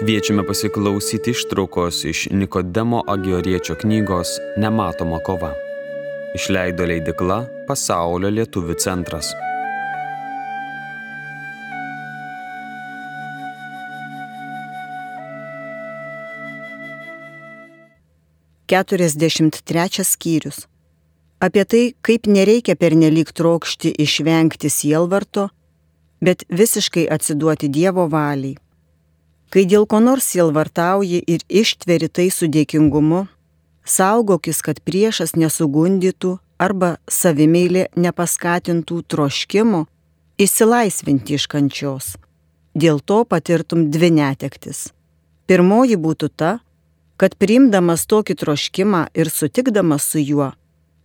Kviečiame pasiklausyti ištraukos iš Nikodemo Agioriečio knygos Nematoma kova. Išleido leidykla Pasaulio lietuvių centras. Keturiasdešimt skyrius. Apie tai, kaip nereikia pernelyg trokšti išvengti sielvarto, bet visiškai atsiduoti Dievo valiai. Kai dėl ko nors sielvartauji ir ištveri tai su dėkingumu, saugokis, kad priešas nesugundytų arba savimeilė nepaskatintų troškimo išsilaisvinti iš kančios. Dėl to patirtum dvi netektis. Pirmoji būtų ta, kad priimdamas tokį troškimą ir sutikdamas su juo,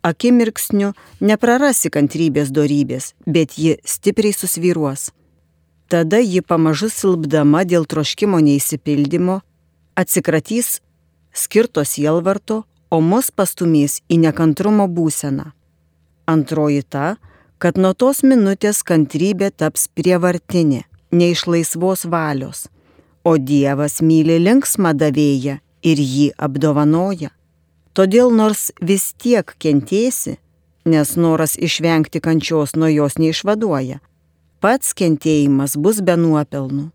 akimirksniu neprarasi kantrybės dorybės, bet ji stipriai susvyruos. Tada ji pamažu silpdama dėl troškimo neįsipildymo atsikratys skirto sielvarto, o mus pastumės į nekantrumo būseną. Antroji ta, kad nuo tos minutės kantrybė taps prievartinė, ne iš laisvos valios, o Dievas myli linksmą davėją ir jį apdovanoja. Todėl nors vis tiek kentėsi, nes noras išvengti kančios nuo jos neišvaduoja, pats kentėjimas bus be nuopelnų.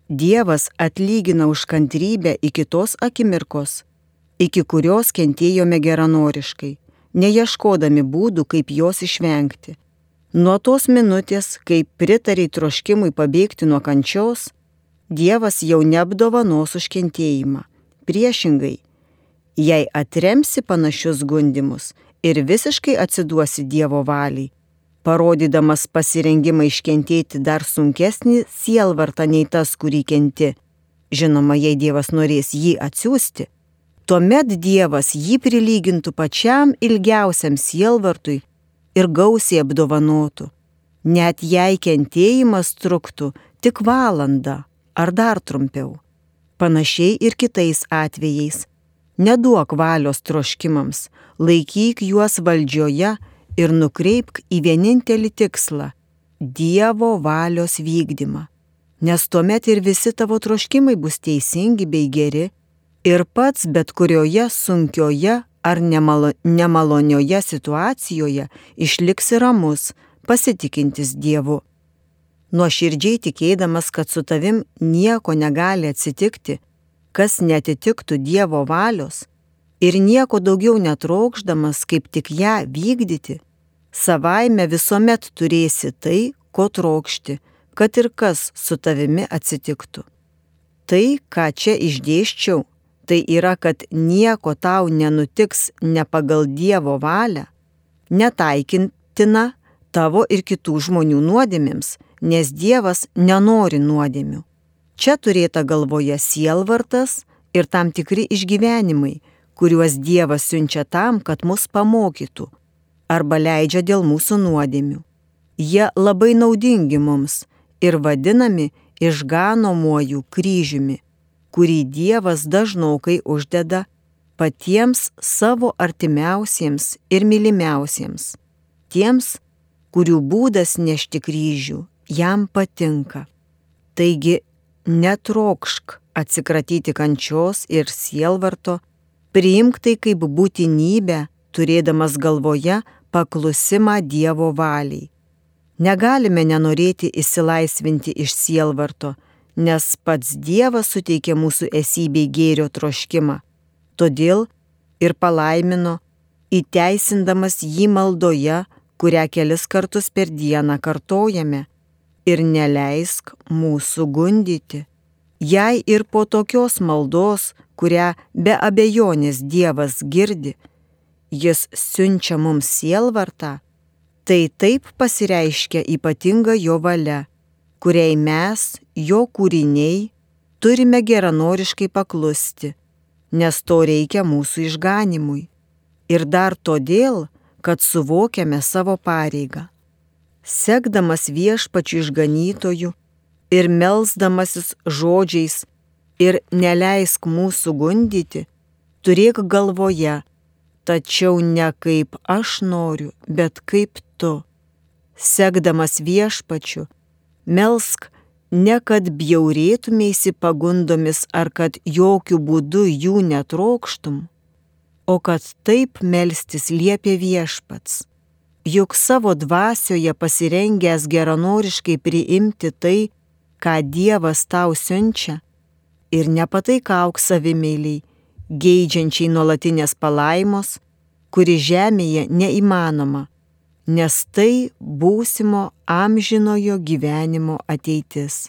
Dievas atlygina už kantrybę iki tos akimirkos, iki kurios kentėjome geranoriškai, neieškodami būdų, kaip jos išvengti. Nuo tos minutės, kai pritariai troškimui pabėgti nuo kančios, Dievas jau neapdovanos už kentėjimą. Priešingai, jei atremsi panašius gundymus ir visiškai atsiduosi Dievo valiai, parodydamas pasirengimą iškentėti dar sunkesnį sielvartą nei tas, kurį kenti, žinoma, jei Dievas norės jį atsiųsti, tuomet Dievas jį prilygintų pačiam ilgiausiam sielvartui ir gausiai apdovanotų, net jei kentėjimas truktų tik valandą ar dar trumpiau. Panašiai ir kitais atvejais. Neduok valios troškimams, laikyk juos valdžioje ir nukreipk į vienintelį tikslą – Dievo valios vykdymą. Nes tuomet ir visi tavo troškimai bus teisingi bei geri ir pats bet kurioje sunkioje ar nemalonioje situacijoje išliksi ramus, pasitikintis Dievu. Nuoširdžiai tikėdamas, kad su tavim nieko negali atsitikti, kas netitiktų Dievo valios, ir nieko daugiau netrokšdamas, kaip tik ją vykdyti, savaime visuomet turėsi tai, ko trokšti, kad ir kas su tavimi atsitiktų. Tai, ką čia išdėsčiau, tai yra, kad nieko tau nenutiks ne pagal Dievo valią, netaikintina tavo ir kitų žmonių nuodėmėms, nes Dievas nenori nuodėmių. Čia turėta galvoje sielvartas ir tam tikri išgyvenimai, kuriuos Dievas siunčia tam, kad mus pamokytų arba leidžia dėl mūsų nuodėmių. Jie labai naudingi mums ir vadinami išganomuoju kryžiumi, kurį Dievas dažnokai uždeda patiems savo artimiausiems ir mylimiausiems, tiems, kurių būdas nešti kryžių jam patinka. Taigi, netrokšk atsikratyti kančios ir sielvarto, priimk tai kaip būtinybę, turėdamas galvoje paklusimą Dievo valiai. Negalime nenorėti išsilaisvinti iš sielvarto, nes pats Dievas suteikė mūsų esybei gėrio troškimą. Todėl ir palaimino, įteisindamas jį maldoje, kurią kelis kartus per dieną kartojame, ir neleisk mūsų gundyti. Jei ir po tokios maldos, kurią be abejonės Dievas girdi, jis siunčia mums sielvartą, tai taip pasireiškia ypatinga jo valia, kuriai mes, jo kūriniai, turime geranoriškai paklusti, nes to reikia mūsų išganimui. Ir dar todėl, kad suvokiame savo pareigą. Sekdamas Viešpačiu išganytoju ir melsdamasis žodžiais ir neleisk mūsų gundyti, turėk galvoje, tačiau ne kaip aš noriu, bet kaip tu. Sekdamas Viešpačiu, melsk ne kad bjaurėtumėsi pagundomis ar kad jokių būdų jų netrokštum, o kad taip melstis liepė Viešpats, juk savo dvasioje pasirengęs geranoriškai priimti tai, ką Dievas tau siunčia, ir nepataikauk savimeiliai, geidžiančiai nuolatinės palaimos, kuri žemėje neįmanoma, nes tai būsimo amžinojo gyvenimo ateitis.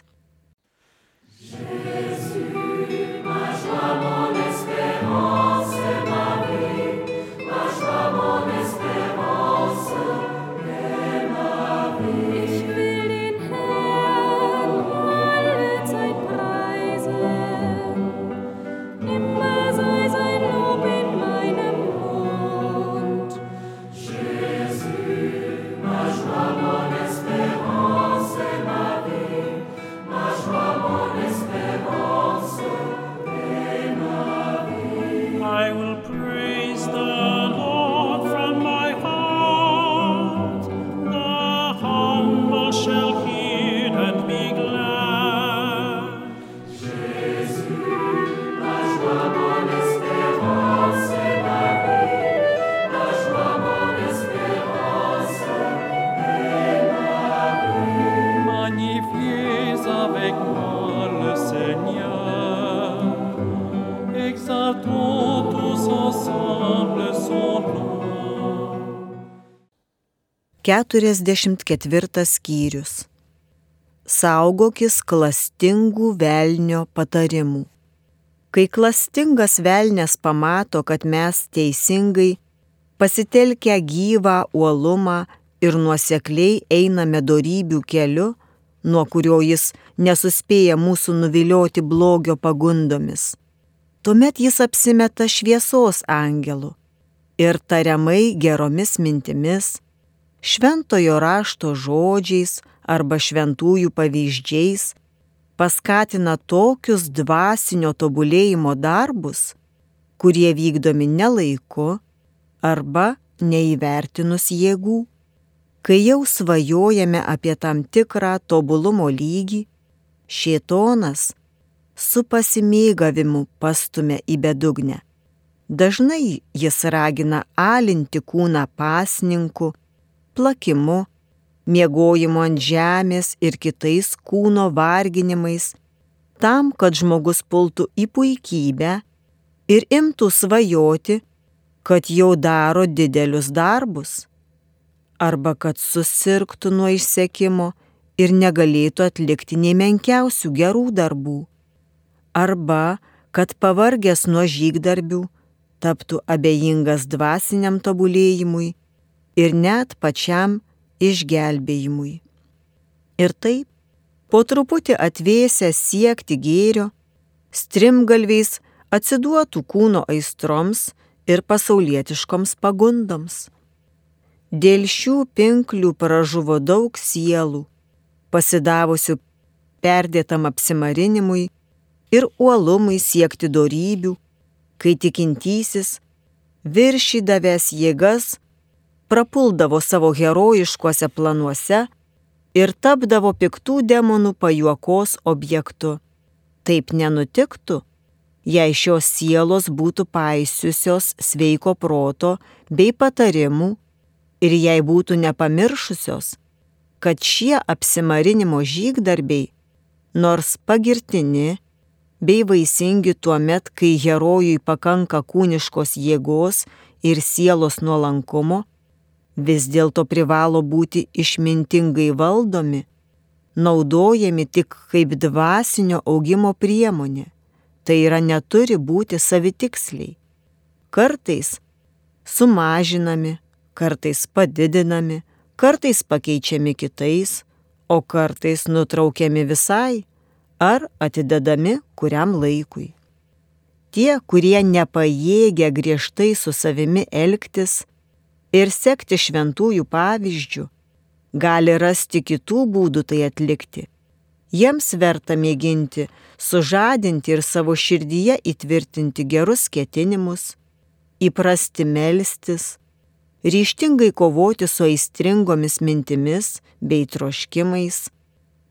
Keturiasdešimt ketvirtas skyrius. Saugokis klastingų velnio patarimų. Kai klastingas velnias pamato, kad mes teisingai, pasitelkę gyvą uolumą ir nuosekliai einame dorybių keliu, nuo kurio jis nesuspėja mūsų nuvilioti blogio pagundomis, tuomet jis apsimeta šviesos angelu ir tariamai geromis mintimis, šventojo rašto žodžiais arba šventųjų pavyzdžiais paskatina tokius dvasinio tobulėjimo darbus, kurie vykdomi ne laiku arba neįvertinus jėgų. Kai jau svajojame apie tam tikrą tobulumo lygį, šėtonas su pasimėgavimu pastumia į bedugnę. Dažnai jis ragina alinti kūną pasninku, plakimu, miegojimu ant žemės ir kitais kūno varginimais, tam, kad žmogus pultų į puikybę ir imtų svajoti, kad jau daro didelius darbus, arba kad susirgtų nuo išsekimo ir negalėtų atlikti nei menkiausių gerų darbų, arba kad pavargęs nuo žygdarbių taptų abejingas dvasiniam tobulėjimui ir net pačiam išgelbėjimui. Ir taip, po truputį atvėsę siekti gėrio, strimgalviais atsiduotų kūno aistroms ir pasaulietiškoms pagundoms. Dėl šių pinklių pražuvo daug sielų, pasidavusių perdėtam apsimarinimui ir uolumui siekti dorybių, kai tikintysis, viršydavęs jėgas, prapuldavo savo herojiškuose planuose ir tapdavo piktų demonų pajuokos objektu. Taip nenutiktų, jei šios sielos būtų paisiusios sveiko proto bei patarimų ir jei būtų nepamiršusios, kad šie apsimarinimo žygdarbiai, nors pagirtini bei vaisingi tuomet, kai herojui pakanka kūniškos jėgos ir sielos nuolankumo, vis dėlto privalo būti išmintingai valdomi, naudojami tik kaip dvasinio augimo priemonė, tai yra neturi būti savitiksliai. Kartais sumažinami, kartais padidinami, kartais pakeičiami kitais, o kartais nutraukiami visai ar atidedami kuriam laikui. Tie, kurie nepajėgia griežtai su savimi elgtis ir sekti šventųjų pavyzdžių, gali rasti kitų būdų tai atlikti. Jiems verta mėginti sužadinti ir savo širdyje įtvirtinti gerus ketinimus, įprasti melstis, ryžtingai kovoti su aistringomis mintimis bei troškimais,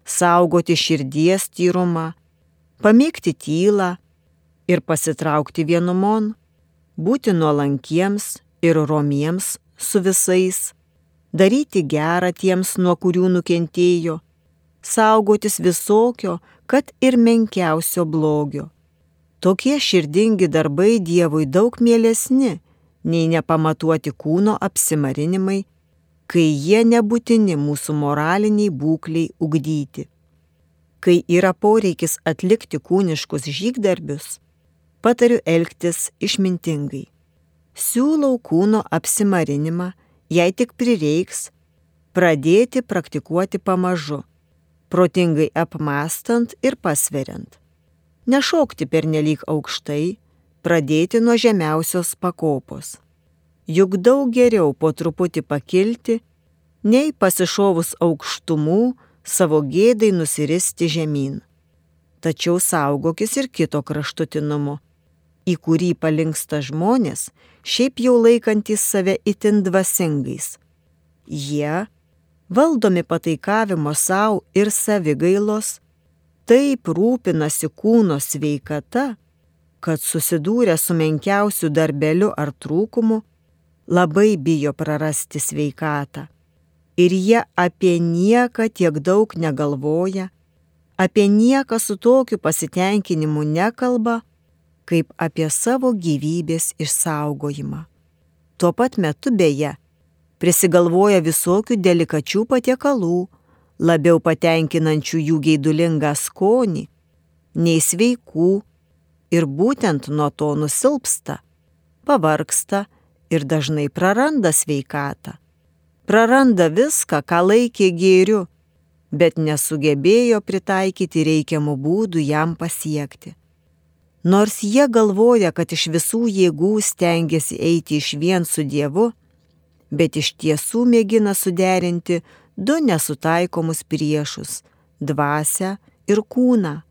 saugoti širdies tyrumą, pamėgti tylą ir pasitraukti vienumon, būti nuolankiems ir romiems su visais, daryti gerą tiems, nuo kurių nukentėjo, saugotis visokio, kad ir menkiausio blogio. Tokie širdingi darbai Dievui daug mielesni, nei nepamatuoti kūno apsimarinimai, kai jie nebūtini mūsų moraliniai būkliai ugdyti. Kai yra poreikis atlikti kūniškus žygdarbius, patariu elgtis išmintingai. Siūlau kūno apsimarinimą, jei tik prireiks, pradėti praktikuoti pamažu, protingai apmąstant ir pasveriant. Nešokti pernelyg aukštai, pradėti nuo žemiausios pakopos. Juk daug geriau po truputį pakilti, nei pasišovus aukštumų savo gėdai nusiristi žemyn. Tačiau saugokis ir kito kraštutinumo, į kurį palinksta žmonės, šiaip jau laikantys save itin dvasingais. Jie, valdomi pataikavimo savo ir savigailos, taip rūpinasi kūno sveikata, kad susidūrę su menkiausiu darbeliu ar trūkumu, labai bijo prarasti sveikatą. Ir jie apie nieką tiek daug negalvoja, apie nieką su tokiu pasitenkinimu nekalba, kaip apie savo gyvybės išsaugojimą. Tuo pat metu beje, prisigalvoja visokių delikačių patiekalų, labiau patenkinančių jų geidulingą skonį, nei sveikų, ir būtent nuo to nusilpsta, pavargsta ir dažnai praranda sveikatą. Praranda viską, ką laikė gėriu, bet nesugebėjo pritaikyti reikiamų būdų jam pasiekti. Nors jie galvoja, kad iš visų jėgų stengiasi eiti išvien su Dievu, bet iš tiesų mėgina suderinti du nesutaikomus priešus – dvasią ir kūną.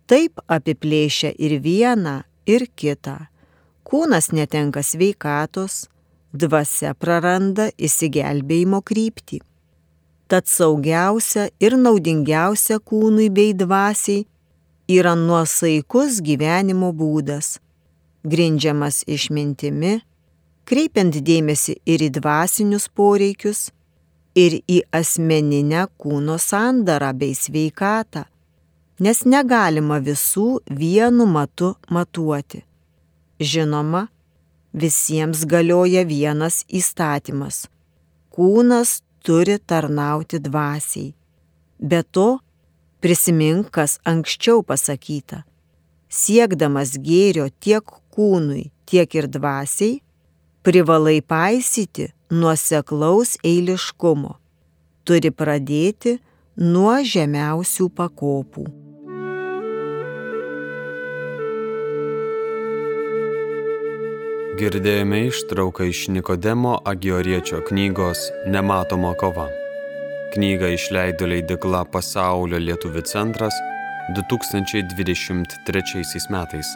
Taip apiplėšia ir vieną, ir kitą. Kūnas netenka sveikatos, dvasia praranda išsigelbėjimo kryptį. Tad saugiausia ir naudingiausia kūnui bei dvasiai yra nuosaikus gyvenimo būdas, grindžiamas išmintimi, kreipiant dėmesį ir į dvasinius poreikius, ir į asmeninę kūno sandarą bei sveikatą, nes negalima visų vienu matu matuoti. Žinoma, visiems galioja vienas įstatymas – kūnas turi tarnauti dvasiai. Be to, prisimink, kas anksčiau pasakyta. Siekdamas gėrio tiek kūnui, tiek ir dvasiai, privalai paisyti nuoseklaus eiliškumo. Turi pradėti nuo žemiausių pakopų. Girdėjome ištrauką iš Nikodemo Agioriečio knygos Nematoma kova. Knygą išleido leidykla Pasaulio lietuvių centras 2023 metais.